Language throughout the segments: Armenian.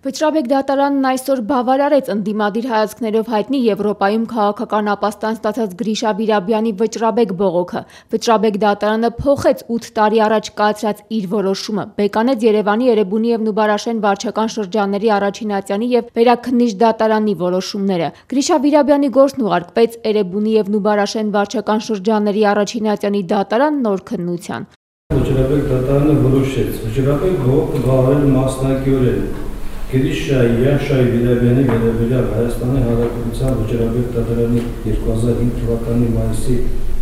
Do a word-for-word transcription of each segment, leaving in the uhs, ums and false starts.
Վճռաբեկ դատարանն այսօր բավարարեց ընդդիմադիր հայացքներով հայտնի Եվրոպայում քաղաքական ապաստան ստացած Գրիշա Վիրաբյանի վճռաբեկ բողոքը։ Վճռաբեկ դատարանը փոխեց ութ տարի առաջ կայացրած իր որոշումը, բեկանեց Երևանի, Էրեբունի և Նուբարաշեն վարչական շրջանների առաջինատյանի և վերաքննիչ դատարանի որոշումները։ Գրիշա Վիրաբյանի գործն ուղարկվեց Էրեբունի և Նուբարաշեն վարչական շրջանների առաջինատյանի դատարան նոր քննության։ Վճռաբեկ դատարանը որոշեց վճռաբեկ բողոքը բավարարել մասնակիորեն Գրիշայի Յաշայի Վիրաբյանի վերաբերյալ Հայաստանի Հանրապետության վճռաբեկ դատարանի երկու հազար հինգ թվականի մայիսի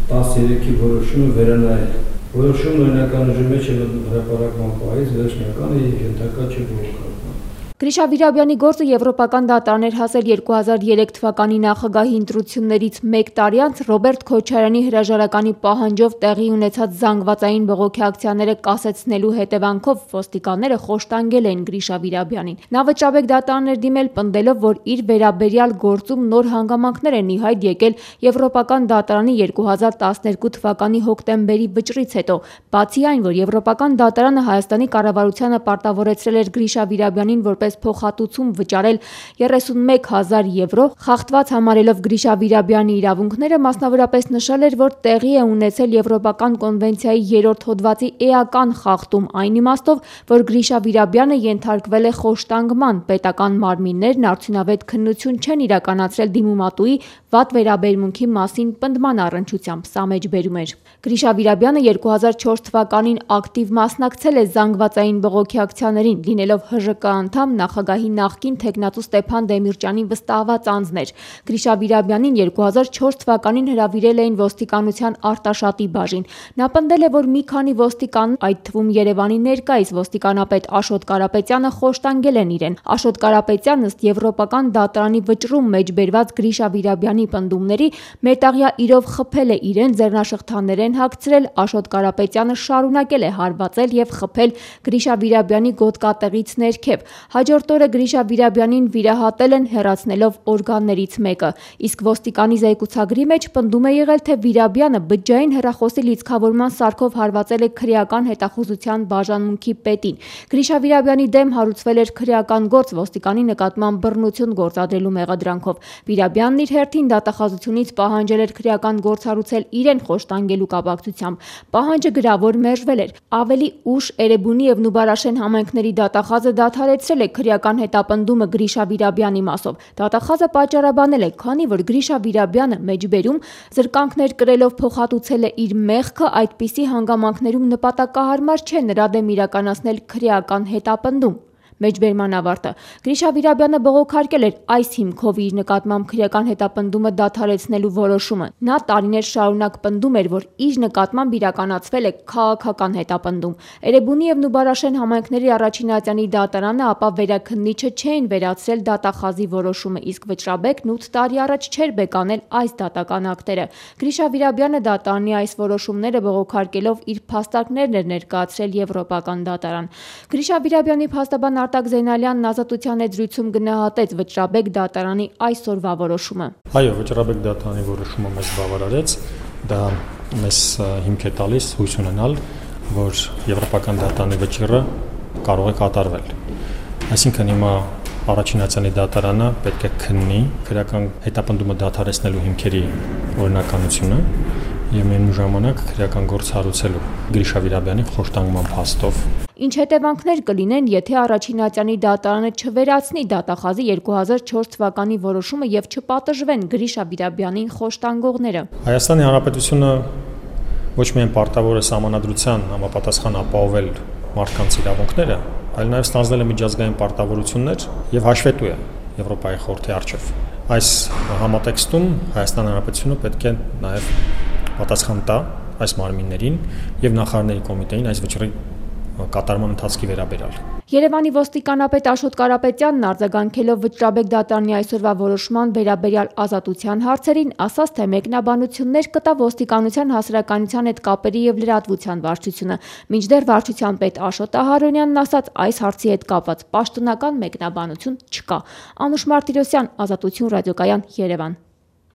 տասներեքի որոշումը վերանայել։ Որոշումն օրինականության մեջ է հրապարակման պահից վերջնական է և ենթակա չէ բողոքարկման։ Գրիշա Վիրաբյանի գործը եվրոպական դատարան էր հասել երկու հազար երեք թվականի նախագահի ընտրություններից մեկ տարի անց Ռոբերտ Քոչարյանի հրաժարականի պահանջով տեղի ունեցած զանգվածային բողոքի ակցիաները կասեցնելու հետևանքով ոստիկանները խոշտանգել էին Գրիշա Վիրաբյանին։ Նա վճռաբեկ դատարան էր դիմել, պնդելով, որ իր վերաբերյալ գործում նոր հանգամանքներ են ի հայտ եկել Եվրոպական դատարանի երկու հազար տասներկու թվականի հոկտեմբերի վճռից հետո։ Բացի այն, որ Եվրոպական դատարանը Հայաստանի կառավարությանը պարտավորեցրել էր Գրիշա Վիրաբյանին որպես փոխհատուցում վճարել երեսունմեկ հազար եվրո, խախտված համարելով Գրիշա Վիրաբյանի իրավունքները, մասնավորապես նշել էր, որ տեղի է ունեցել Եվրոպական կոնվենցիայի երրորդ հոդվածի էական խախտում այն իմաստով, որ Գրիշա Վիրաբյանը ենթարկվել է խոշտանգման, պետական մարմիններն արդյունավետ քննություն չեն իրականացրել դիմումատուի վատ վերաբերմունքի մասին պնդման առնչությամբ, սա մեջբերում էր։ Գրիշա Վիրաբյանը երկու հազար չորս թվականին ակտիվ մասնակցել է զանգվածային բողոքի ակցիաներին, լինելով Հ Ժ Կ անդամ, նախագահի նախկին թեկնածու Ստեփան Դեմիրճյանի վստահված անձն էր։ Գրիշա Վիրաբյանին երկու հազար չորս թվականին հրավիրել էին ոստիկանության Արտաշատի բաժին։ Նա պնդել է, որ մի քանի ոստիկան, այդ թվում Երևանի ներկայիս ոստիկանապետ Աշոտ Կարապետյանը խոշտանգել են իրեն։ Աշոտ Կարապետյանն ըստ Եվրոպական դատարանի վճռում մեջբերված Գրիշա Վիրաբյանի պնդումների մետաղյա իրով խփել է իրեն, ձեռնաշղթաներ են հագցրել, Աշոտ Կարապետյանը շարունակել է հարվածել և խփել Գրիշա Վիրաբյանի գոտկատեղից ներքև։ Հաջորդ օրը Գրիշա Վիրաբյանին վիրահատել են, հեռացնելով օրգաններից մեկը։ Իսկ ոստիկանի զեկուցագրի մեջ պնդում է եղել, թե Վիրաբյանը բջջային հեռախոսի լիցքավորման սարքով հարվածել է քրեական հետախուզության բաժանմունքի պետին։ Գրիշա Վիրաբյանի դեմ հարուցվել էր քրեական գործ ոստիկանի նկատմամբ բռնություն գործադրելու մեղադրանքով։ Վիրաբյանն իր հերթին դատախազությունից պահանջել էր քրեական գործ հարուցել իրեն խոշտանգելու կապակցությամբ։ Պահանջը գրավոր մերժվել էր։ Ավելի ուշ Էրեբունի և Նուբարաշեն համայնքների դատախազը դադարեցրել է քրեական հետապնդումը Գրիշա Վիրաբյանի մասով։ Դատախազը պատճառաբանել է, քանի որ Գրիշա Վիրաբյանը մեջբերում զրկանքներ կրելով փոխհատուցել է իր մեղքը, այդպիսի հանգամանքներում նպատակահարմար չէ նրա դեմ իրականացնել քրեական հետապնդում։ Մեջբերման ավարտը։ Գրիշա Վիրաբյանը բողոքարկել էր այս հիմքով իր նկատմամբ քրեական հետապնդումը դադարեցնելու որոշումը։ Նա տարիներ շարունակ պնդում էր, որ իր նկատմամբ իրականացվել է քաղաքական հետապնդում։ Էրեբունի և Նուբարաշեն համայնքների առաջինատյանի դատարանը ապա վերաքննիչը չէին վերացրել դատախազի որոշումը, իսկ վճռաբեկն ութ տարի առաջ չէր բեկանել այս դատական ակտերը։ Գրիշա Վիրաբյանը դատարանի այս որոշումները բողոքարկելով իր փաստարկներն էր ներկայացրել Եվրոպական դատարան։ Գրիշա Վիրաբյանի փաստաբան Արտակ Զեյնալյանն Ազատության հետ զրույցում գնահատեց վճռաբեկ դատարանի այսօրվա որոշումը։ Այո, վճռաբեկ դատարանի որոշումը մեզ բավարարեց, դա մեզ հիմք է տալիս հույս ունենալ, որ Եվրոպական դատարանի վճիռը կարող է կատարվել։ Այսինքն հիմա առաջինատյանի դատարանը պետք է քննի քրեական հետապնդումը դադարեցնելու հիմքերի օրինականությունը և միևնույն ժամանակ քրեական գործ հարուցելու Գրիշա Վիրաբյանի խոշտանգման փաստով։ Ինչ հետևանքներ կլինեն, եթե առաջինատյանի դատարանը չվերացնի դատախազի երկու հազար չորս թվականի որոշումը և չպատժվեն Գրիշա Վիրաբյանին խոշտանգողները։ Հայաստանի Հանրապետությունը ոչ միայն պարտավոր է սահմանադրության համապատասխան ապահովել մարդկանց իրավունքները, այլ նաև ստանձնել է միջազգային պարտավորություններ և հաշվետու է Եվրոպայի խորհրդի առջև։ Այս համատեքստում Հայաստան Հանրապետությունը պետք է նաև պատասխան տա այս մարմիններին և նախարարների կոմիտեին այս վճռի կատարման ընթացքի վերաբերյալ։ Երևանի ոստիկանապետ Աշոտ Կարապետյանն արձագանքելով վճռաբեկ դատարանի այսօրվա որոշման վերաբերյալ ազատության հարցերին, ասաց, թե մեկնաբանություններ կտա ոստիկանության հասարակայնության հետ կապերի և լրատվության վարչությունը։ Մինչդեռ վարչության պետ Աշոտ Ահարոնյանն ասաց, այս հարցի հետ կապված պաշտոնական մեկնաբանություն չկա։ Անուշ Մարտիրոսյան, Ազատություն ռադիոկայան, Երևան։